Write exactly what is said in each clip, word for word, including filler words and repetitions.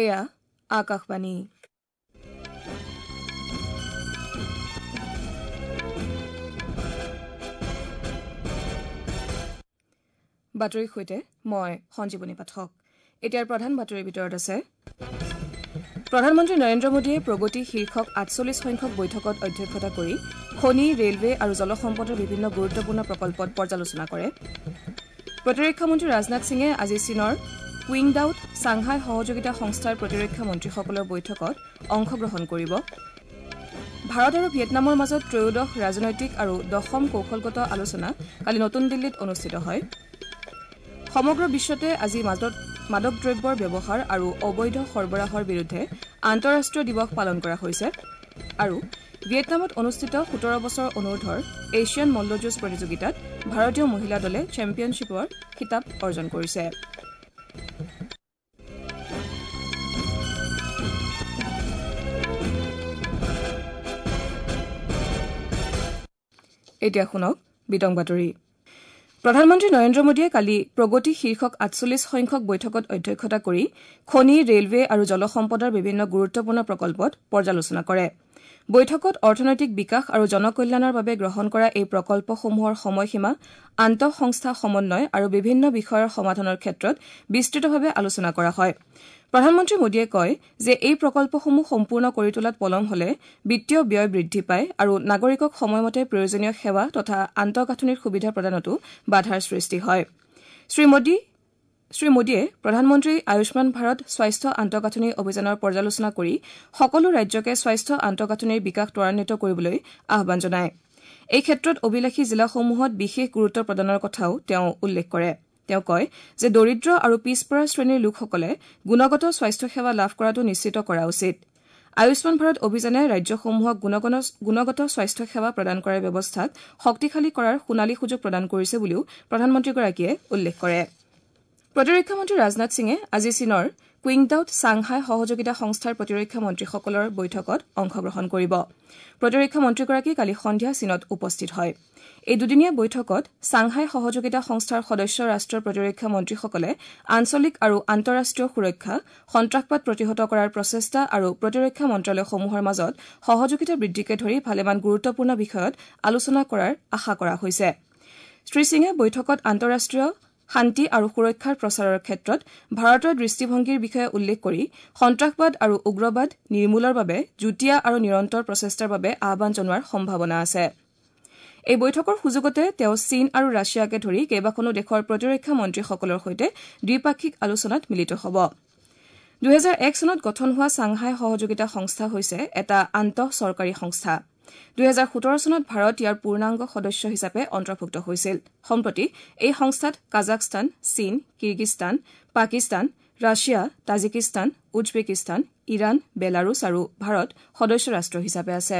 এয়া আকাশবাণী। বাতৰিৰ সৈতে মই সঞ্জীৱনী পাঠক। এতিয়াৰ প্ৰধান বাতৰিৰ ভিতৰত আছে প্ৰধানমন্ত্ৰী নৰেন্দ্ৰ মোদীয়ে প্ৰগতি শীৰ্ষক আঠচল্লিছ সংখ্যক বৈঠকত অধ্যক্ষতা কৰি খনি, ৰেলৱে আৰু জলসম্পদৰ বিভিন্ন গুৰুত্বপূৰ্ণ প্ৰকল্পত পৰ্যালোচনা কৰে। প্ৰতিৰক্ষা মন্ত্ৰী ৰাজনাথ সিঙে আজি চীনৰ কুইংডাউত ছাংহাই সহযোগিতা সংস্থাৰ প্ৰতিৰক্ষা মন্ত্ৰীসকলৰ বৈঠকত অংশগ্ৰহণ কৰিব। ভাৰত আৰু ভিয়েটনামৰ মাজত ত্ৰয়োদশ ৰাজনৈতিক আৰু দশম কৌশলগত আলোচনা কালি নতুন দিল্লীত অনুষ্ঠিত হয়। সমগ্ৰ বিশ্বতে আজি মাদক দ্ৰব্যৰ ব্যৱহাৰ আৰু অবৈধ সৰবৰাহৰ বিৰুদ্ধে আন্তঃৰাষ্ট্ৰীয় দিৱস পালন কৰা হৈছে। আৰু ভিয়েটনামত অনুষ্ঠিত সোতৰ বছৰ অনুৰ্ধৰ এছিয়ান মল্লযুঁজ প্ৰতিযোগিতাত ভাৰতীয় মহিলা দলে চেম্পিয়নশ্বিপৰ খিতাপ অৰ্জন কৰিছে। এতিয়া শুনক বিতং বাতৰি। প্ৰধানমন্ত্ৰী নৰেন্দ্ৰ মোদীয়ে কালি প্ৰগতি শীৰ্ষক আঠচল্লিছ সংখ্যক বৈঠকত অধ্যক্ষতা কৰি খনি, ৰেলৱে আৰু জলসম্পদৰ বিভিন্ন গুৰুত্বপূৰ্ণ প্ৰকল্পত পৰ্যালোচনা কৰে। বৈঠকত অৰ্থনৈতিক বিকাশ আৰু জনকল্যাণৰ বাবে গ্ৰহণ কৰা এই প্ৰকল্পসমূহৰ সময়সীমা, আন্তঃসংস্থা সমন্বয় আৰু বিভিন্ন বিষয়ৰ সমাধানৰ ক্ষেত্ৰত বিস্তৃতভাৱে আলোচনা কৰা হয়। প্ৰধানমন্ত্ৰী মোদীয়ে কয় যে এই প্ৰকল্পসমূহ সম্পূৰ্ণ কৰি তোলাত পলম হলে বিত্তীয় ব্যয় বৃদ্ধি পায় আৰু নাগৰিকক সময়মতে প্ৰয়োজনীয় সেৱা তথা আন্তঃগাঁথনিৰ সুবিধা প্ৰদানতো বাধাৰ সৃষ্টি হয়। শ্ৰী শ্ৰী মোদীয়ে প্ৰধানমন্ত্ৰী আয়ুষ্মান ভাৰত স্বাস্থ্য আন্তঃগাঁথনি অভিযানৰ পৰ্যালোচনা কৰি সকলো ৰাজ্যকে স্বাস্থ্য আন্তঃগাঁথনিৰ বিকাশ ত্বৰান্বিত কৰিবলৈ আহ্বান জনায়। এই ক্ষেত্ৰত অভিলাষী জিলাসমূহত বিশেষ গুৰুত্ব প্ৰদানৰ কথাও তেওঁ উল্লেখ কৰে। তেওঁ কয় যে দৰিদ্ৰ আৰু পিছপৰা শ্ৰেণীৰ লোকসকলে গুণগত স্বাস্থ্যসেৱা লাভ কৰাটো নিশ্চিত কৰা উচিত। আয়ুষ্মান ভাৰত অভিযানে ৰাজ্যসমূহক গুণগত স্বাস্থ্যসেৱা প্ৰদান কৰাৰ ব্যৱস্থাক শক্তিশালী কৰাৰ সোণালী সুযোগ প্ৰদান কৰিছে বুলিও প্ৰধানমন্ত্ৰীগৰাকীয়ে উল্লেখ কৰে। প্ৰতিৰক্ষা মন্ত্ৰী ৰাজনাথ সিঙে আজি চীনৰ কুইংডাউত ছাংহাই সহযোগিতা সংস্থাৰ প্ৰতিৰক্ষা মন্ত্ৰীসকলৰ বৈঠকত অংশগ্ৰহণ কৰিব। প্ৰতিৰক্ষা মন্ত্ৰীগৰাকী কালি সন্ধিয়া চীনত উপস্থিত হয়। এই দুদিনীয়া বৈঠকত ছাংহাই সহযোগিতা সংস্থাৰ সদস্য ৰাষ্ট্ৰৰ প্ৰতিৰক্ষা মন্ত্ৰীসকলে আঞ্চলিক আৰু আন্তঃৰাষ্ট্ৰীয় সুৰক্ষা, সন্ত্ৰাসবাদ প্ৰতিহত কৰাৰ প্ৰচেষ্টা আৰু প্ৰতিৰক্ষা মন্ত্ৰালয়সমূহৰ মাজত সহযোগিতা বৃদ্ধিকে ধৰি ভালেমান গুৰুত্বপূৰ্ণ বিষয়ত আলোচনা কৰাৰ আশা কৰা হৈছে। শ্ৰী সিঙে বৈঠকত আন্তঃৰাষ্ট্ৰীয় শান্তি আৰু সুৰক্ষাৰ প্ৰচাৰৰ ক্ষেত্ৰত ভাৰতৰ দৃষ্টিভংগীৰ বিষয়ে উল্লেখ কৰি সন্ত্ৰাসবাদ আৰু উগ্ৰবাদ নিৰ্মূলৰ বাবে যুটীয়া আৰু নিৰন্তৰ প্ৰচেষ্টাৰ বাবে আহ্বান জনোৱাৰ সম্ভাৱনা আছে। এই বৈঠকৰ সুযোগতে তেওঁ চীন আৰু ৰাছিয়াকে ধৰি কেইবাখনো দেশৰ প্ৰতিৰক্ষা মন্ত্ৰীসকলৰ সৈতে দ্বিপাক্ষিক আলোচনাত মিলিত হ'ব। দুহেজাৰ এক চনত গঠন হোৱা ছাংহাই সহযোগিতা সংস্থা হৈছে এটা আন্তঃ চৰকাৰী সংস্থা। দুহেজাৰ সোতৰ চনত ভাৰত ইয়াৰ পূৰ্ণাংগ সদস্য হিচাপে অন্তৰ্ভুক্ত হৈছিল। সম্প্ৰতি এই সংস্থাত কাজাখস্তান, চীন, Kyrgyzstan, Pakistan, Russia, Tajikistan, Uzbekistan, Iran, Belarus আৰু ভাৰত সদস্য ৰাষ্ট্ৰ হিচাপে আছে।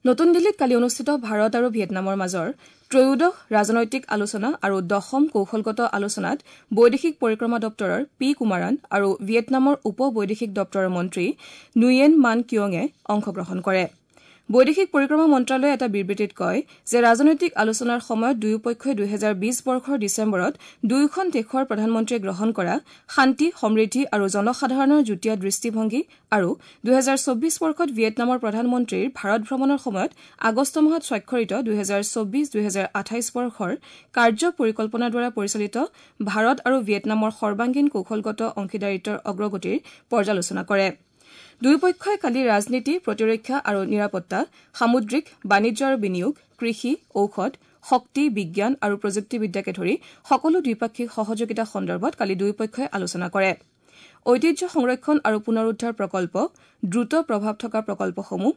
নতুন দিল্লীত কালি অনুষ্ঠিত ভাৰত আৰু ভিয়েটনামৰ মাজৰ ত্ৰয়োদশ ৰাজনৈতিক আলোচনা আৰু দশম কৌশলগত আলোচনাত বৈদেশিক পৰিক্ৰমা দপ্তৰৰ পি কুমাৰান আৰু ভিয়েটনামৰ উপ বৈদেশিক দপ্তৰৰ মন্ত্ৰী নুয়েন মান কিয়ঙে অংশগ্ৰহণ কৰে। বৈদেশিক পৰিক্ৰমা মন্ত্ৰালয়ে এটা বিবৃতিত কয় যে ৰাজনৈতিক আলোচনাৰ সময়ত দুয়োপক্ষই দুহেজাৰ বিশ বৰ্ষৰ ডিচেম্বৰত দুয়োখন দেশৰ প্ৰধানমন্ত্ৰীয়ে গ্ৰহণ কৰা শান্তি, সমৃদ্ধি আৰু জনসাধাৰণৰ যুটীয়া দৃষ্টিভংগী আৰু দুহেজাৰ চৌবিশ বৰ্ষত ভিয়েটনামৰ প্ৰধানমন্ত্ৰীৰ ভাৰত ভ্ৰমণৰ সময়ত আগষ্ট মাহত স্বাক্ষৰিত দুহেজাৰ চৌবিশ দুহেজাৰ আঠাইছ বৰ্ষৰ কাৰ্য পৰিকল্পনাৰ দ্বাৰা পৰিচালিত ভাৰত আৰু ভিয়েটনামৰ সৰ্বাংগীন কৌশলগত অংশীদাৰিত্বৰ অগ্ৰগতিৰ পৰ্যালোচনা কৰে। দুয়োপক্ষই কালি ৰাজনীতি, প্ৰতিৰক্ষা আৰু নিৰাপত্তা, সামুদ্ৰিক, বাণিজ্য আৰু বিনিয়োগ, কৃষি, ঔষধ, শক্তি, বিজ্ঞান আৰু প্ৰযুক্তিবিদ্যাকে ধৰি সকলো দ্বিপাক্ষিক সহযোগিতা সন্দৰ্ভত কালি দুয়োপক্ষই আলোচনা কৰে। ঐতিহ্য সংৰক্ষণ আৰু পুনৰুদ্ধাৰ প্ৰকল্প, দ্ৰুত প্ৰভাৱ থকা প্ৰকল্পসমূহ,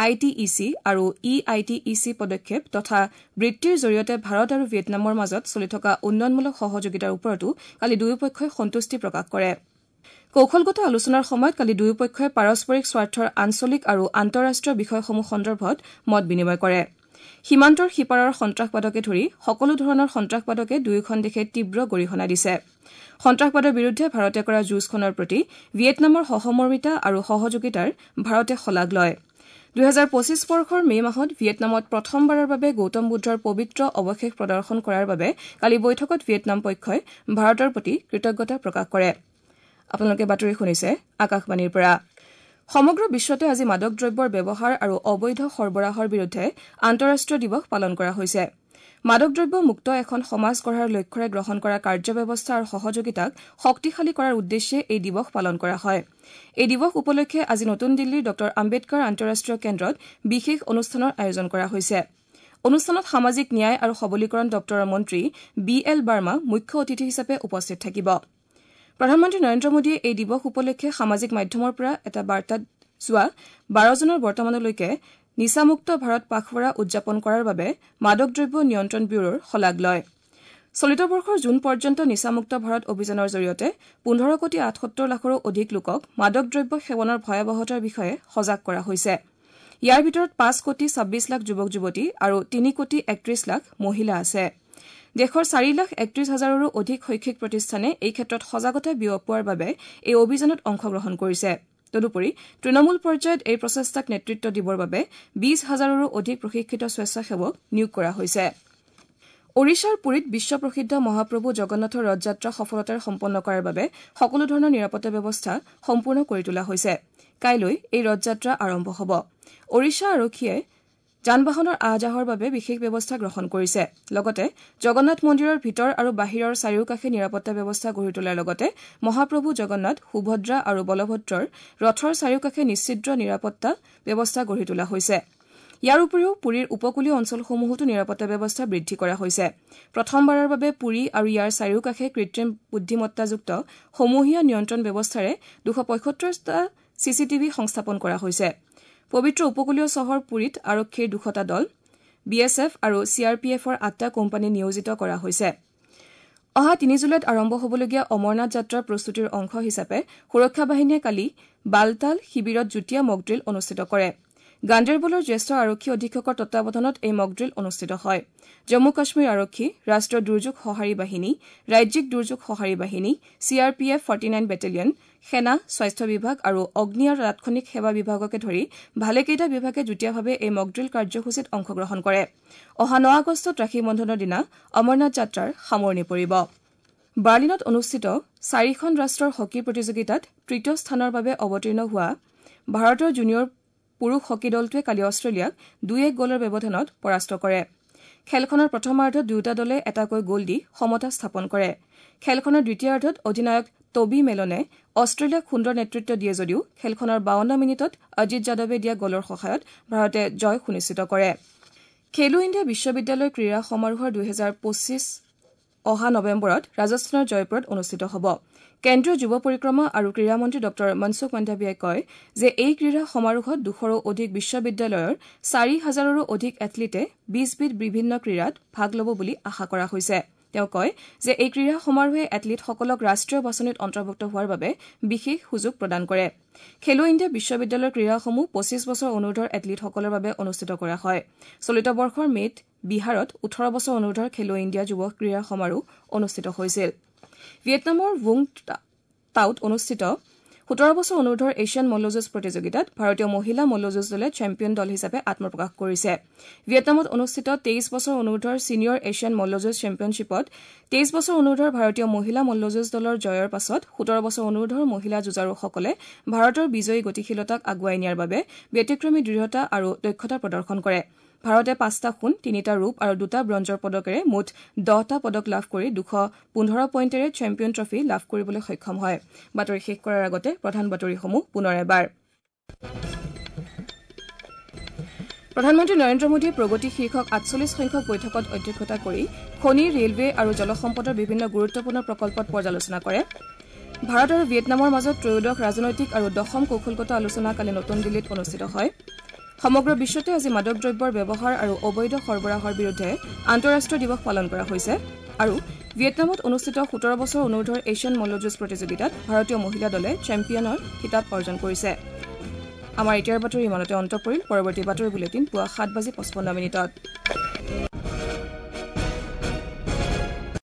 I T E C আৰু E I T E C পদক্ষেপ তথা বৃত্তিৰ জৰিয়তে ভাৰত আৰু ভিয়েটনামৰ মাজত চলি থকা উন্নয়নমূলক সহযোগিতাৰ ওপৰতো কালি দুয়োপক্ষই সন্তুষ্টি প্ৰকাশ কৰে। কৌশলগত আলোচনাৰ সময়ত কালি দুয়োপক্ষই পাৰস্পৰিক স্বাৰ্থৰ আঞ্চলিক আৰু আন্তঃৰাষ্ট্ৰীয় বিষয়সমূহ সন্দৰ্ভত মত বিনিময় কৰে। সীমান্তৰ সিপাৰৰ সন্ত্ৰাসবাদকে ধৰি সকলো ধৰণৰ সন্ত্ৰাসবাদকে দুয়োখন দেশে তীব্ৰ গৰিহণা দিছে। সন্ত্ৰাসবাদৰ বিৰুদ্ধে ভাৰতে কৰা যুঁজখনৰ প্ৰতি ভিয়েটনামৰ সহমৰ্মিতা আৰু সহযোগিতাৰ ভাৰতে শলাগ লয়। দুহেজাৰ পঁচিছ বৰ্ষৰ মে মাহত ভিয়েটনামত প্ৰথমবাৰৰ বাবে গৌতম বুদ্ধৰ পবিত্ৰ অৱশেষ প্ৰদৰ্শন কৰাৰ বাবে কালি বৈঠকত ভিয়েটনাম পক্ষই ভাৰতৰ প্ৰতি কৃতজ্ঞতা প্ৰকাশ কৰে। আপোনালোকে বাতৰি শুনিছে আকাশবাণীৰ পৰা। সমগ্ৰ বিশ্বতে আজি মাদক দ্ৰব্যৰ ব্যৱহাৰ আৰু অবৈধ সৰবৰাহৰ বিৰুদ্ধে আন্তঃৰাষ্ট্ৰীয় দিৱস পালন কৰা হৈছে। মাদক দ্ৰব্য মুক্ত এখন সমাজ গঢ়াৰ লক্ষ্যৰে গ্ৰহণ কৰা কাৰ্যব্যৱস্থা আৰু সহযোগিতাক শক্তিশালী কৰাৰ উদ্দেশ্যে এই দিৱস পালন কৰা হয়। এই দিৱস উপলক্ষে আজি নতুন দিল্লীৰ ডঃ আম্বেদকাৰ আন্তঃৰাষ্ট্ৰীয় কেন্দ্ৰত বিশেষ অনুষ্ঠানৰ আয়োজন কৰা হৈছে। অনুষ্ঠানত সামাজিক ন্যায় আৰু সবলীকৰণ দপ্তৰৰ মন্ত্ৰী বি এল বাৰ্মা মুখ্য অতিথি হিচাপে উপস্থিত থাকিব। প্ৰধানমন্ত্ৰী নৰেন্দ্ৰ মোদীয়ে এই দিৱস উপলক্ষে সামাজিক মাধ্যমৰ পৰা এটা বাৰ্তাত যোৱা বাৰ জুনৰ বৰ্তমানলৈকে নিচামুক্ত ভাৰত পাখৱাৰা উদযাপন কৰাৰ বাবে মাদক দ্ৰব্য নিয়ন্ত্ৰণ ব্যুৰোৰ শলাগ লয়। চলিত বৰ্ষৰ জুন পৰ্যন্ত নিচামুক্ত ভাৰত অভিযানৰ জৰিয়তে পোন্ধৰ কোটি আঠসত্তৰ লাখৰো অধিক লোকক মাদক দ্ৰব্য সেৱনৰ ভয়াৱহতাৰ বিষয়ে সজাগ কৰা হৈছে। ইয়াৰ ভিতৰত পাঁচ কোটি ছাব্বিছ লাখ যুৱক যুৱতী আৰু তিনি কোটি একত্ৰিশ লাখ মহিলা আছে। দেশৰ চাৰি লাখ একত্ৰিশ হাজাৰৰো অধিক শৈক্ষিক প্ৰতিষ্ঠানে এই ক্ষেত্ৰত সজাগতা বিয়পোৱাৰ বাবে এই অভিযানত অংশগ্ৰহণ কৰিছে। তদুপৰি তৃণমূল পৰ্যায়ত এই প্ৰচেষ্টাক নেতৃত্ব দিবৰ বাবে বিশ হাজাৰৰো অধিক প্ৰশিক্ষিত স্বেচ্ছাসেৱক নিয়োগ কৰা হৈছে। ওড়িশাৰ পুৰীত বিশ্বপ্ৰসিদ্ধ মহাপ্ৰভু জগন্নাথৰ ৰথযাত্ৰা সফলতাৰে সম্পন্ন কৰাৰ বাবে সকলো ধৰণৰ নিৰাপত্তা ব্যৱস্থা সম্পূৰ্ণ কৰি তোলা হৈছে। কাইলৈ এই ৰথযাত্ৰা আৰম্ভ হ'ব। ওড়িশা আৰক্ষীয়ে যান বাহনৰ আহ যাহৰ বাবে বিশেষ ব্যৱস্থা গ্ৰহণ কৰিছে। লগতে জগন্নাথ মন্দিৰৰ ভিতৰ আৰু বাহিৰৰ চাৰিওকাষে নিৰাপত্তা ব্যৱস্থা গঢ়ি তোলাৰ লগতে মহাপ্ৰভু জগন্নাথ, সুভদ্ৰা আৰু বলভদ্ৰৰ ৰথৰ চাৰিওকাষে নিশ্চিদ্ৰ নিৰাপত্তা ব্যৱস্থা গঢ়ি তোলা হৈছে। ইয়াৰ উপৰিও পুৰীৰ উপকূলীয় অঞ্চলসমূহতো নিৰাপত্তা ব্যৱস্থা বৃদ্ধি কৰা হৈছে। প্ৰথমবাৰৰ বাবে পুৰী আৰু ইয়াৰ চাৰিওকাষে কৃত্ৰিম বুদ্ধিমত্তাযুক্ত সমূহীয়া নিয়ন্ত্ৰণ ব্যৱস্থাৰে দুশ পঁয়সত্তৰটা চি চি টিভি সংস্থাপন কৰা হৈছে। পবিত্ৰ উপকূলীয় চহৰ পুৰীত আৰক্ষীৰ দুশটা দল, বি এছ এফ আৰু চি আৰ পি এফৰ আঠটা কোম্পানী নিয়োজিত কৰা হৈছে। অহা তিনি জুলাইত আৰম্ভ হ'বলগীয়া অমৰনাথ যাত্ৰাৰ প্ৰস্তুতিৰ অংশ হিচাপে সুৰক্ষা বাহিনীয়ে কালি বালতাল শিবিৰত যুটীয়া মকড্ৰিল অনুষ্ঠিত কৰে। গাণ্ডেৰবলৰ জ্যেষ্ঠ আৰক্ষী অধীক্ষকৰ তত্বাৱধানত এই মকড্ৰিল অনুষ্ঠিত হয়। জম্মু কাশ্মীৰ আৰক্ষী, ৰাষ্ট্ৰীয় দুৰ্যোগ সঁহাৰি বাহিনী, ৰাজ্যিক দুৰ্যোগ সঁহাৰি বাহিনী, C R P F forty nine battalion, সেনা, স্বাস্থ্য বিভাগ আৰু অগ্নি আৰু তাৎক্ষণিক সেৱা বিভাগকে ধৰি ভালেকেইটা বিভাগে যুটীয়াভাৱে এই মকড্ৰিল কাৰ্যসূচীত অংশগ্ৰহণ কৰে। অহা ন আগষ্টত ৰাখী বন্ধনৰ দিনা অমৰনাথ যাত্ৰাৰ সামৰণি পৰিব। বাৰ্লিনত অনুষ্ঠিত চাৰিখন ৰাষ্ট্ৰৰ হকী প্ৰতিযোগিতাত তৃতীয় স্থানৰ বাবে অৱতীৰ্ণ হোৱা ভাৰতৰ জুনিয়ৰ পুৰুষ হকী দলটোৱে কালি অষ্ট্ৰেলিয়াক দুই এক গ'লৰ ব্যৱধানত পৰাস্ত কৰে। খেলখনৰ প্ৰথমাৰ্ধত দুয়োটা দলে এটাকৈ গ'ল দি সমতা স্থাপন কৰে। খেলখনৰ দ্বিতীয়াৰ্ধত অধিনায়ক টবি মেলনে অষ্ট্ৰেলিয়াক সুন্দৰ নেতৃত্ব দিয়ে যদিও খেলখনৰ বাৱন্ন মিনিটত অজিত যাদৱে দিয়া গ'লৰ সহায়ত ভাৰতে জয় সুনিশ্চিত কৰে। খেলো ইণ্ডিয়া বিশ্ববিদ্যালয় ক্ৰীড়া সমাৰোহৰ দুহেজাৰ পঁচিছ অহা নৱেম্বৰত ৰাজস্থানৰ জয়পুৰত অনুষ্ঠিত হ'ব। কেন্দ্ৰীয় যুৱ পৰিক্ৰমা আৰু ক্ৰীড়া মন্ত্ৰী ডঃ মনসুখ মাণ্ডাভিয়াই কয় যে এই ক্ৰীড়া সমাৰোহত দুশৰো অধিক বিশ্ববিদ্যালয়ৰ চাৰি হাজাৰৰো অধিক এথলীটে বিশবিধ বিভিন্ন ক্ৰীড়াত ভাগ ল'ব বুলি আশা কৰা হৈছে। তেওঁ কয় যে এই ক্ৰীড়া সমাৰোহে এথলীটসকলক ৰাষ্ট্ৰীয় বাছনিত অন্তৰ্ভুক্ত হোৱাৰ বাবে বিশেষ সুযোগ প্ৰদান কৰে। খেলো ইণ্ডিয়া বিশ্ববিদ্যালয়ৰ ক্ৰীড়াসমূহ পঁচিছ বছৰ অনুৰ্ধৰ এথলীটসকলৰ বাবে অনুষ্ঠিত কৰা হয়। চলিত বৰ্ষৰ মে'ত বিহাৰত ওঠৰ বছৰ অনুৰ্ধৰ খেলো ইণ্ডিয়া যুৱ ক্ৰীড়া সমাৰোহ অনুষ্ঠিত হৈছিল। ভিয়েটনামৰ ভুং টাউত অনুষ্ঠিত সোতৰ বছৰ অনুৰ্ধৰ এছিয়ান মল্লযুঁজ প্ৰতিযোগিতাত ভাৰতীয় মহিলা মল্লযুঁজ দলে চেম্পিয়ন দল হিচাপে আত্মপ্ৰকাশ কৰিছে। ভিয়েটনামত অনুষ্ঠিত তেইছ বছৰ অনুৰ্ধৰ ছিনিয়ৰ এছিয়ান মল্লযুঁজ চেম্পিয়নশ্বিপত তেইছ বছৰ অনুৰ্ধৰ ভাৰতীয় মহিলা মল্লযুঁজ দলৰ জয়ৰ পাছত সোতৰ বছৰ অনুৰ্ধৰ মহিলা যুঁজাৰুসকলে ভাৰতৰ বিজয়ী গতিশীলতাক আগুৱাই নিয়াৰ বাবে ব্যতিক্ৰমী দৃঢ়তা আৰু দক্ষতা প্ৰদৰ্শন কৰে। ভাৰতে পাঁচটা সোণ, তিনিটা ৰূপ আৰু দুটা ব্ৰঞ্জৰ পদকেৰে মুঠ দহটা পদক লাভ কৰি দুশ পোন্ধৰ পইণ্টেৰে চেম্পিয়ন ট্ৰফী লাভ কৰিবলৈ সক্ষম হয়। বাতৰি শেষ কৰাৰ আগতে প্ৰধান বাতৰিসমূহ পুনৰ এবাৰ। প্ৰধানমন্ত্ৰী নৰেন্দ্ৰ মোদীয়ে প্ৰগতি শীৰ্ষক আঠচল্লিছ সংখ্যক বৈঠকত অধ্যক্ষতা কৰি খনি, ৰেলৱে আৰু জলসম্পদৰ বিভিন্ন গুৰুত্বপূৰ্ণ প্ৰকল্পত পৰ্যালোচনা কৰে। ভাৰত আৰু ভিয়েটনামৰ মাজত ত্ৰয়োদশ ৰাজনৈতিক আৰু দশম কৌশলগত আলোচনা কালি নতুন দিল্লীত অনুষ্ঠিত হয়। সমগ্ৰ বিশ্বতে আজি মাদক দ্ৰব্যৰ ব্যৱহাৰ আৰু অবৈধ সৰবৰাহৰ বিৰুদ্ধে আন্তঃৰাষ্ট্ৰীয় দিৱস পালন কৰা হৈছে। আৰু ভিয়েটনামত অনুষ্ঠিত সোতৰ বছৰ অনুৰ্ধৰ এছিয়ান মল্লযুঁজ প্ৰতিযোগিতাত ভাৰতীয় মহিলা দলে চেম্পিয়নৰ খিতাপ অৰ্জন কৰিছে। আমাৰ এতিয়াৰ বাতৰি ইমানতে অন্ত পৰিল। পৰৱৰ্তী বাতৰি বুলেটিন পুৱা সাত বাজি পঁচপন্ন মিনিটত।